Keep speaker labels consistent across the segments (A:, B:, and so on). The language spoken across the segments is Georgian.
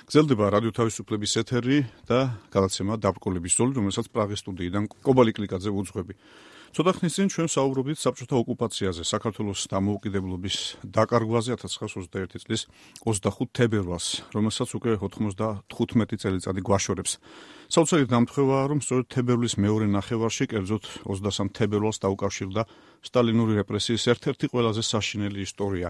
A: გრძელდება რადიო თავისუფლების ეთერი და გადაცემა დაბრკოლების ზოლი, რომელსაც პრაღის სტუდიიდან კობალი კლიკაძე უძღვები. ცოტა ხნის წინ ჩვენ საუბრობდით საბჭოთა ოკუპაციაზე, საქართველოს დამოუკიდებლობის დაკარგვაზე 1921 წლის 25 თებერვალს, რომელსაც უკვე 95 წელიწადი გვაშორებს. საოცარი დამთხევაა, რომ სწორედ თებერვლის მეორე ნახევარში, კერძოდ 23 თებერვალს დაუკავშირდა სტალინური რეპრესიის ერთ-ერთი ყველაზე საშინელი ისტორია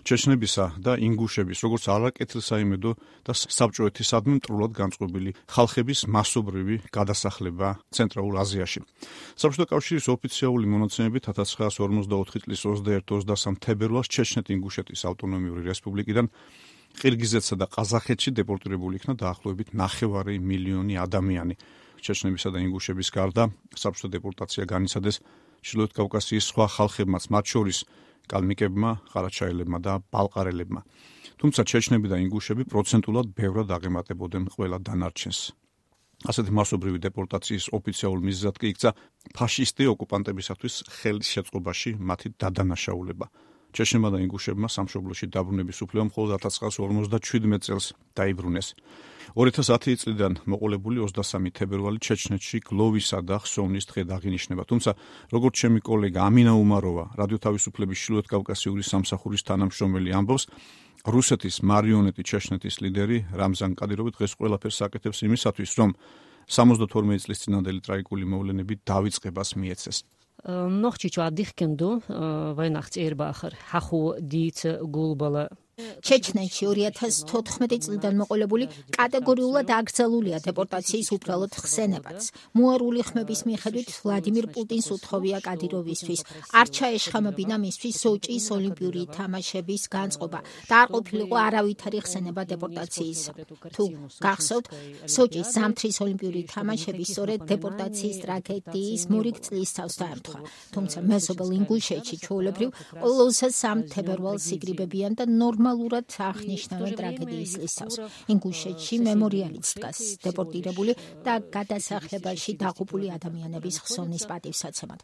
A: ჩეჩნებისა და ინგუშების, როგორც არაკეთილსაიმედო და საბჭოეთისადმი მტრულად განწყობილი ხალხების მასობრივი გადასახლება ცენტრალურ აზიაში. საბჭოთა კავშირის ოფიციალური მონაცემებით 1954 წლის 21-23 თებერვალს ჩეჩნეთ-ინგუშეთის ავტონომიური რესპუბლიკიდან ყირგიზეთსა და ყაზახეთში დეპორტირებული იქნა დაახლოებით 9 მილიონი ადამიანი. ჩეჩნებისა და ინგუშების გარდა საბჭოთა დეპორტაცია განიცადეს ჩრდილოეთ კავკასიის სხვა ხალხებმაც, მათ შორის კალმიკებმა, ყარაჩაელებმა და ბალყარელებმა. თუმცა ჩეჩნები და ინგუშები პროცენტულად ბევრად აღემატებოდნენ ყველა დანარჩენს. ასეთი მასობრივი დეპორტაციის ოფიციალურ მიზეზად კი იქცა ფაშისტი ოკუპანტებისათვის ხელის შეწყობაში მათი დადანაშაულება. ჩეჩნებმა და ინგუშებმა სამშობლოში დაბრუნების უფლება მხოლოდ 1957 წელს დაიბრუნეს. 2010 წლიდან მოყოლებული 23 თებერვალი ჩეჩნეთში გლოვისა და ხსოვნის დღედ აღინიშნება. თუმცა, როგორც ჩემი კოლეგა ამინა უმაროვა, რადიო თავისუფლების ჩრდილოეთ კავკასიური სამსახურის თანამშრომელი ამბობს, რუსეთის მარიონეტი ჩეჩნეთის ლიდერი რამზან კადიროვი დღეს ყველაფერს აკეთებს იმისათვის, რომ 72 წლის წინანდელი ტრაგიკული მოვლენები დავიწყებას მიეცეს.
B: Nog iets wat dichtkendu, Weihnachtseerbachar, Hachu, Dietz, Gulbala.
C: ჩეჩნეთში 2014 წლიდან მოყოლებული კატეგორიულად აკრძალულია დეპორტაციის უბრალოდ ხსენებაც. მოარული ხმების მიხედვით ვლადიმირ პუტინს უთხოვია კადიროვისთვის არ ჩაეშხამებინა მისთვის სოჭის ოლიმპიური თამაშების განწყობა და არ ყოფილიყო არავითარი ხსენება დეპორტაციისა. თუ გახსოვთ, სოჭის ზამთრის ოლიმპიური თამაშები სწორედ დეპორტაციის ტრაგედიის მორიგ წლისთავს დაემთხვა. თუმცა მეზობელ ინგუშეთში ჩვეულებრივ 23 თებერვალს იკრიბებიან და ნორმალურად აღნიშნავენ ტრაგედიის წლისთავს. ინგუშეთში მემორიალიც დგას დეპორტირებული და გადასახლებაში დაღუპული ადამიანების ხსოვნის პატივსაცემად.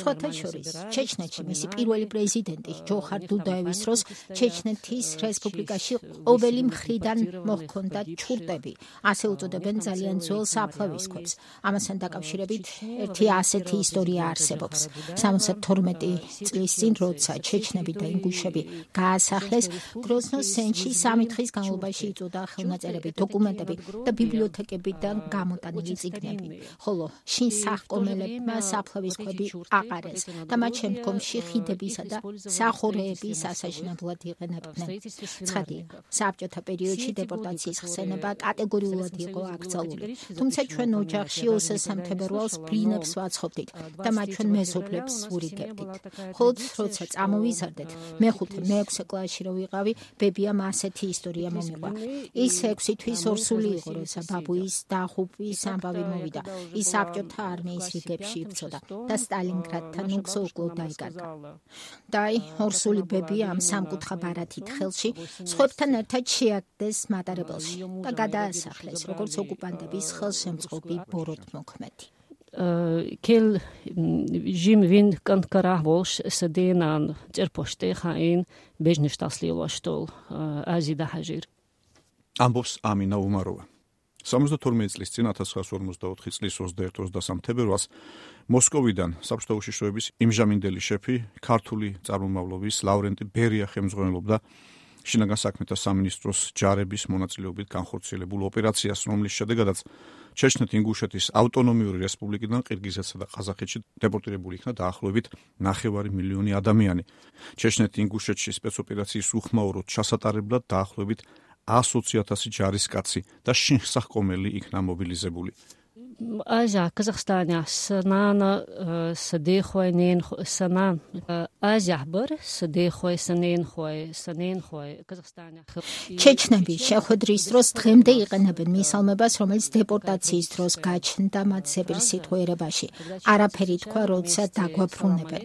C: სხვათა შორის, ჩეჩნეთში მისი პირველი პრეზიდენტი ჯოხარ დუდაევის დროს ჩეჩნეთის რესპუბლიკაში ყოველი მხრიდან მოჰქონდა ჩურტები, ასე უწოდებენ ძალიან ძველ საფლავის ქვებს. ამასთან დაკავშირებით ერთი ასეთი ისტორია არსებობს. 72 წლის წინ, როცა ჩეჩნები და ინგუშები გაასახლეს, გროზნოს სენჩი 3 დღის განმავლობაში იწოდა ხელნაწერები, დოკუმენტები და ბიბლიოთეკებიდან გამოტანილი წიგნები, ხოლო შინ სახკომელებმა საფლავის ქვები აყარეს და მათ შემდგომში ხიდებისა და სახორეების ასაშენებლად იყენებდნენ. ცხადია, საბჭოთა პერიოდში დეპორტაციის ხსენება კატეგორიულად იყო აკრძალული, თუმცა ჩვენ ოჯახში 23 თებერვალს ბლინებს ვაცხობდით და მათ ჩვენ მეზობლებს ვურიგებდით. ხოლო როცა წამოვიზარდეთ, მე-6 კლასში რო ვიყავი, ბებიამ ასეთი ისტორია მომიყვა. ის 6 თვის ორსული იყო, როცა ბაბუის დაღუპვის ამბავი მოვიდა. ის საბჭოთა არმიის რიგებში იბრძოდა და სტალინგრადთან უგზო-უკლოდ დაიკარგა. და ორსული ბები ამ სამკუთხა ბარათით ხელში სხვებთან ერთად შეაგდეს მატარებელში და გადაასახლეს, როგორც ოკუპანტების ხელშემწყობი ბოროტმოქმედი.
B: Kel Jim Wind kan Karavos Sadenan Წერპოშტე ხაინ ბეჟნეშტასლიოლაშტოლ აზიდა ჰაჟირ.
A: ამბობს ამინა უმაროვა. 72 წლის წინ 1954 წლის 21-23 თებერვალს მოსკოვიდან საბჭოთა უშიშროების იმჟამინდელი შეფი ქართული წარმომავლობის ლავრენტი ბერია ხელმძღვანელობდა შინაგან საქმეთა სამინისტროს ჯარების მონაწილეობით განხორციელებულ ოპერაციას, რომლის შედეგადაც ჩეჩნეთ-ინგუშეთის ავტონომიური რესპუბლიკიდან ყირგიზეთსა და ყაზახეთში დეპორტირებული იქნა დაახლოებით 9 მილიონი ადამიანი. ჩეჩნეთ-ინგუშეთში სპეცოპერაციის უხმაუროდ ჩასატარებლად დაახლოებით 120,000 ჯარისკაცი და შინსახკომელი იქნა მობილიზებული.
B: Азия, Казахстане, Санан, Садехуайнен, Санан, Азия бар, Садехуайсаненхуай, Саненхуай, Казахстане.
C: ჩეჩნები შეხვედრის დროს დღემდე იყენებენ მისალმებას, რომელიც დეპორტაციის დროს გაჩნდა მათ სეპირსიტყვიერებაში. არაფერი თქვა, როცა დაგვაფრუნებენ.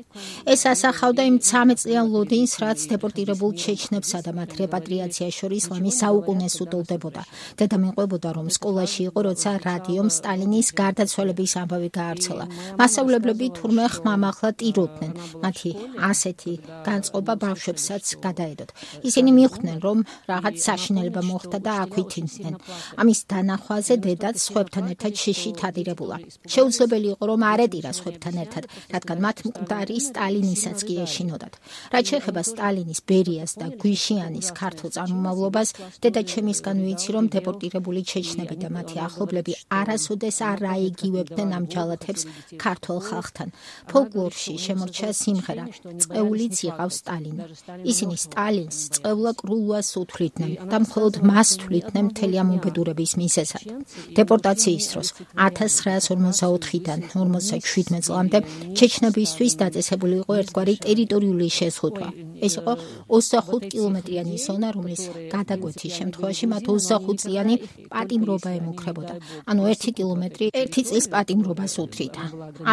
C: ეს ასახავდა იმ 13 წლიან ლოდინს, რაც დეპორტირებულ ჩეჩნებსა და მათ რეპატრიაციას შორის ლამის საუკუნეს უტოლდებოდა. დედა მიყვებოდა, რომ სკოლაში იყო, როცა რადიომ სტალინის გარდაცვალების ამბავი გაავრცელა. მასწავლებლები თურმე ხმამაღლა ტიროდნენ. მათი ასეთი განწყობა ბავშვებსაც გადაედოთ. ისინი მიხვდნენ, რომ რაღაც საშინელება მოხდა და აქვითინდნენ. ამის დანახვაზე დედაც სხვებთან ერთად შიშით ადირებულა. შეუძლებელი იყო, რომ არ ეტირა სხვებთან ერთად, რადგან მათ მკვდარი სტალინისაც კი ეშინოდათ. რაც შეეხება სტალინის, ბერიას და გვიშიანის ქართულ წარმომავლობას, დედაჩემისგან ვიცი, რომ დეპორტირებული ჩეჩნები და მათი ახლობლები არასოდეს არ აიგივებდნენ ამ ჯალათებს ქართულ ხალხთან. ფოლკლორში შემორჩა სიმღერა „წყეულიც იყავს სტალინი“. ისინი სტალინს წყევლა კრულვას უთვლიდნენ და მხოლოდ მას თვლიდნენ მთელი ამ უბედურების მიზეზად. დეპორტაციის დროს 1944-დან 57 წლამდე ჩეჩნებისთვის დაწესებული იყო ერთგვარი ტერიტორიული შეზღუდვა. ეს იყო 25 კილომეტრიანი ზონა, რომლის გადაკვეთის შემთხვევაში მათ 25 წლიანი პატიმრობა ემუქრებოდა. ანუ 1 კილომეტრი 1 წლის პატიმრობას უთრიდა.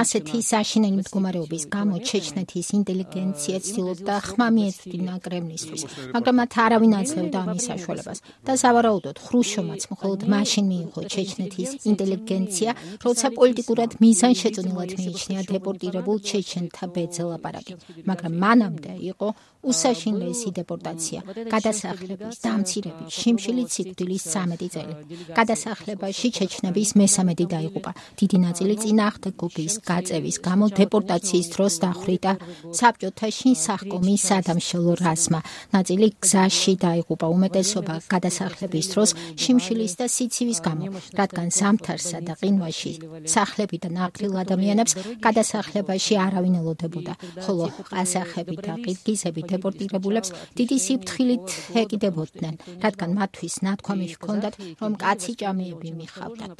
C: ასეთი საშინელი მდგომარეობის გამო ჩეჩნეთის ინტელიგენცია ცდილობდა ხმა მიეწვდინა კრემლისთვის, მაგრამ მათ არავინ აძლევდა ამის საშუალებას. და სავარაუდოდ ხრუშჩოვმაც მხოლოდ მაშინ მიიღო ჩეჩნეთის ინტელიგენცია, როცა პოლიტიკურად მიზანშეწონილად მიიჩნია დეპორტირებულ ჩეჩენთა ბეძელაპარაკი. მაგრამ მანამდე იყო უსაშინლესი დეპორტაცია, გადასახლების, დამცირების, შიმშილით სიკვდილის 13 წელი. გადასახლებაში ჩეჩნების მესამედი დაიღუპა. დიდი ნაწილი წინააღმდეგობის გაწევის გამო დეპორტაციის დროს დახვრიტა საბჭოთა შინსახკომის სადამშელო რაზმმა. ნაწილი გზაში დაიღუპა, უმეტესობა გადასახლების დროს შიმშილის და სიცივის გამო, რადგან ზამთარსა და ყინვაში სახლებიდან აკრილ ადამიანებს გადასახლებაში არავინ ელოდებოდა, ხოლო ყაზახები და ყირგიზები დეპორტირებულებს დიდი სიფრთხილით ეკიდებოდნენ, რადგან მათთვის ნათქვამი ჰქონდათ, რომ კაცი ჭამეები მიხავდათ.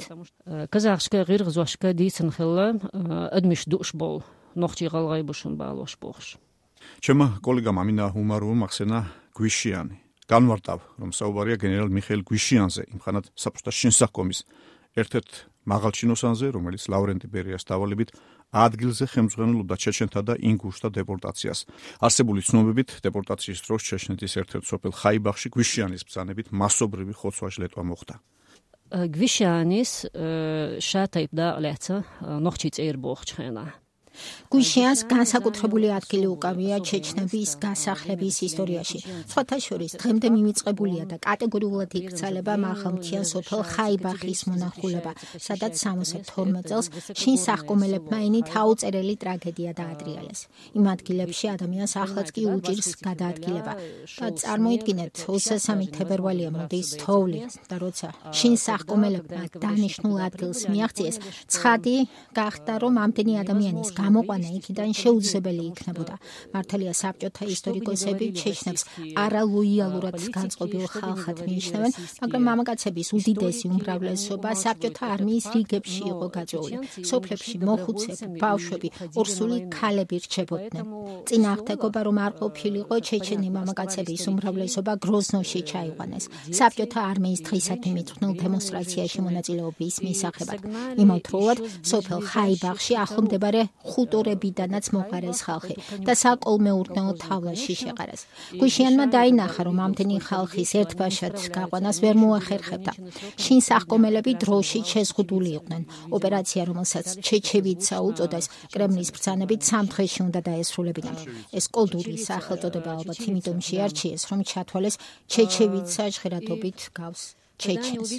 B: Казахская гыргызошка дейсін ხილла адмиш душбол ნოხჭი ღალღაიბუშუნ ბალოშ ბოხშ.
A: ჩემმა კოლეგამ ამინა უმაროვმა ახსენა გვიშიანი. განვარტავ, რომ საუბარია გენერალ მიხეილ გვიშიანზე, იმხანად საბჭოთა შინსახკომის ერთ-ერთ მაღალჩინოსანზე, რომელიც ლავრენტი ბერიას დავალებით ადგილზე ხელმძღვანელობდა ჩეჩენთა და ინგუშთა დეპორტაციას. არსებული ცნობებით, დეპორტაციის დროს ჩეჩნეთის ერთ-ერთ სოფელ ხაიბახში გვიშიანის ბრძანებით მასობრივი ხოცვა-ჟლეტვა მოხდა.
B: გვიშიანის შატაიბდა ლეცა ნოხჭი წერ ბოხჩხენა.
C: გვიშიანს განსაკუთრებული ადგილი უკავია ჩეჩნების გასახლების ისტორიაში. სხვათა შორის დღემდე მიმიწყებულია და კატეგორიულად იქცალება მაღალმთიან სოფელ ხაიბახის მონახულება, სადაც 72 წელს შინსახკომელებმა ენით აუწერელი ტრაგედია დაადრიალეს. იმ ადგილებში ადამიანს ახლაც კი უჭირს გადაადგილება. და წარმოიდგინეთ, 23 თებერვალია მოდის თოვლი და როცა შინსახკომელებმა დანიშნულ ადგილს მიაღწიეს, ცხადი გახდა, რომ ამდენი ადამიანის გამოყვანა იქიდან შეუძლებელი იქნებოდა. მართალია საბჭოთა ისტორიკოსები ჩეჩნებს არალოიალურად განწყობილ ხალხად მიიჩნევენ, მაგრამ მამაკაცების უდიდესი უმრავლესობა საბჭოთა არმიის რიგებში იყო გაწეული. სოფლებში მოხუცები, ბავშვები, ორსული ქალები რჩებოდნენ. წინააღმდეგობა რომ არ ყოფილიყო, ჩეჩენი მამაკაცების უმრავლესობა გროზნოში ჩაიყვანეს. საბჭოთა არმიის დღისადმი მიძღვნილ დემონსტრაციაში მონაწილეობის მისაღებად. იმავდროულად სოფელ ხაიბახში ახლომდებარე ხუტორებიდანაც მოყარეს ხალხი და საკოლმეურნეო თავლაში შეყარეს. გვიშიანმა დაინახა, რომ ამდენი ხალხის ერთბაშად გაყვანას ვერ მოახერხებდა. შინსახკომელები დროში შეზღუდული იყვნენ. ოპერაცია, რომელსაც ჩეჩევიცა უწოდეს, კრემლის ბრძანებით 3 დღეში უნდა დაესრულებინათ. ეს კოლდური სახელწოდება ალბათ იმიტომ შეარჩიეს, რომ ჩათვალეს ჩეჩევიცა ჟღერადობით გავს ჩეჩენს.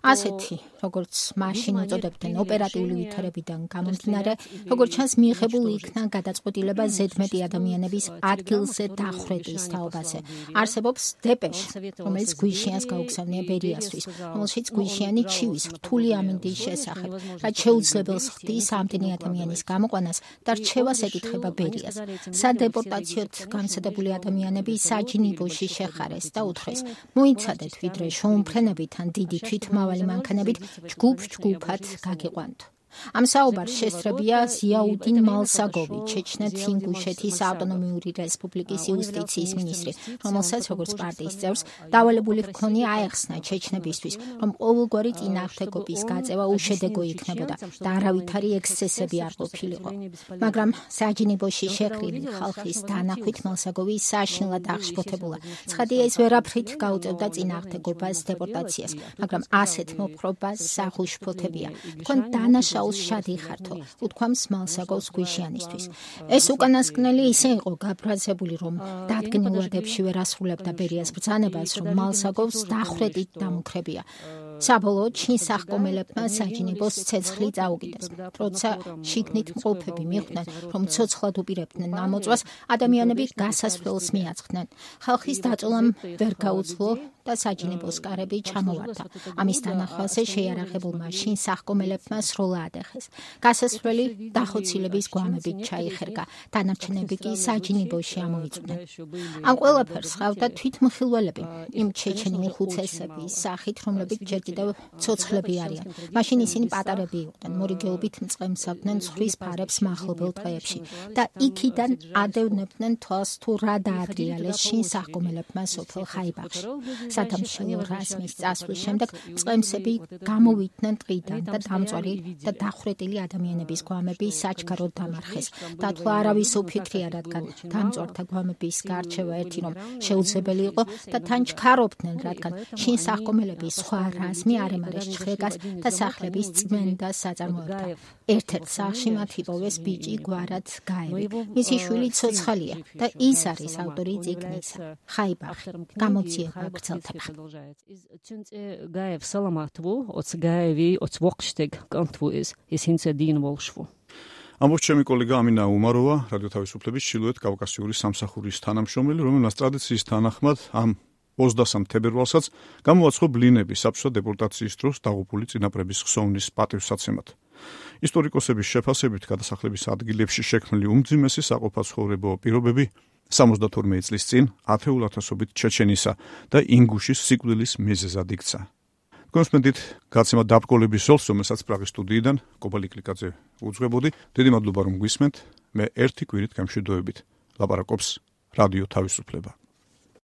C: ასეთი, როგორც მაშინ უწოდებდნენ ოპერატიული ვითარებიდან გამომდინარე, როგორც ჩანს მიიღებული იქნა გადაწყვეტილება ზედმეტი ადამიანების ადგილზე დახვრეტის თაობაზე. არსებობს დეპეშა, რომელიც გვიშიანს გაუგზავნია ბერიასთვის, რომელშიც გვიშიანი ჩივის რთული ამინდის შესახებ, რაც შეუძლებელს ხდის ამდენი ადამიანის გამოყვანას და რჩევას ეკითხება ბერიას. სადეპორტაციოდ გამცადებული ადამიანები საჯინიბოში შეხარეს და უთხრეს: მოიცადეთ, ვიდრე შეუმფრენებით თან დიდი თვითმავალი მანქანებით ჯგუფ-ჯგუფად გაგიყვანთ. ამ საუბარს შესწრებია ზიაუდინ მალსაგოვი, ჩეჩნეთ-ინგუშეთის ავტონომიური რესპუბლიკის იუსტიციის მინისტრი, რომელსაც როგორც პარტიის წევრს დავალებული ჰქონია აეხსნა ჩეჩნებისთვის, რომ ყოველგვარი წინააღმდეგობის გაწევა უშედეგო იქნებოდა და არავითარი ექსცესები არ ყოფილიყო. მაგრამ საჯინიბოში შეყრილი ხალხის დანახვით მალსაგოვი საშინლად აღშფოთებულა. ცხადია, ეს ვერაფრით გაუწევდა წინააღმდეგობას დეპორტაციას, მაგრამ ასეთ მოპყრობას საღუშფოთებია. თქვენ დანაშაულ მოსაულს შადი ხართო, უთქვამს მალსაგოვს გვიშიანისთვის. ეს უკანასკნელი ისე იყო გაფრაზებული, რომ დადგენილადებში ვერ ასრულებდა ბერიას ბრძანებას, რომ მალსაგოვს დახრედით დამუქრებია. საბოლოოდ შინ სახკომელებმა საჯინიბოს ცეცხლი წაუკიდეს. როცა შიგნით მყოფები მიხვდნენ, რომ ცოცხლად უპირებდნენ ნამოწვას, ადამიანები გასასვლელს მიაწყდნენ. ხალხის დაწოლამ ვერ გაუძლო და საჯინიბოს კარები ჩამოვარდა. ამის თანახმაზე შეიარაღებულმა შინ სახკომელებმა სროლა ადეხეს. გასასვლელი დახოცილების გვამებით ჩაიხერგა, დანარჩენები კი საჯინიბოში ამოიწვნენ. ამ ყველაფერს ხავდა თვითმხილველები, იმ ჩეჩენი უხუცესების სახით, რომლებიც ჯერ კიდევ ცოცხლები არიან. მაშინ ისინი პატარები იყვნენ, მორიგეობით მწყემსავდნენ ცხვრის ფარებს მახლობელ დღეებში და იქიდან ადევნებდნენ თვალს თუ რა დაადრიალეს შინ სახკომელებმა სოფელ ხაიბახში. სადამშრალო რაზმის წასვლის შემდეგ მწყემსები გამოვიდნენ ტყიდან და დამწვარი და დახვრეტილი ადამიანების გვამები საჩქაროდ დამარხეს. დათვლა არავის უფიქრია, რადგან დამწვართა გვამების გარჩევა ერთი რომ შეუძლებელი იყო და თან ჩქარობდნენ, რადგან შინ სახკომელების სხვა რაზმი არემარეს ჩხრეკას და სახლების წმენდა საწარმოებდა. ერთ-ერთ სახლში მათ იპოვეს ბიჭი გვარად გაევი. მისი შვილი ცოცხალია და ის არის ავტორი წიგნისა. ხაიბახი. გამოძიება გრძელდება.
B: Gaev salamatvu, oc Gaevi, oc Vokšteg kantvu is hince din volshvu.
A: ამბობს ჩემი კოლეგა ამინა უმაროვა, რადიო თავისუფლების ჩრდილოეთ კავკასიური სამსახურის თანამშრომელი, რომელმაც ტრადიციის თანახმად ამ 23 თებერვალსაც გამოაცხო ბლინები საბჭოთა დეპორტაციის დროს დაღუპული წინაპრების ხსოვნის პატივსაცემად. ისტორიკოსების შეფასებით გადასახლების ადგილებში შექმნილი უმძიმესი საყოფაცხოვრებო პირობები 72 წლის წინ ათეულ ათასობით ჩეჩენისა და ინგუშის სიკვდილის მიზეზად იქცა. კონსპენდით გაცემა დაბრკოლების ზოლს, რომელსაც პრაღის სტუდიიდან კობალი კლიკაძე უძღვებოდი. დიდი მადლობა რომ გვისმენთ. მე ერთი კვირით გამშვიდობებით. ლაპარაკობს რადიო თავისუფლება.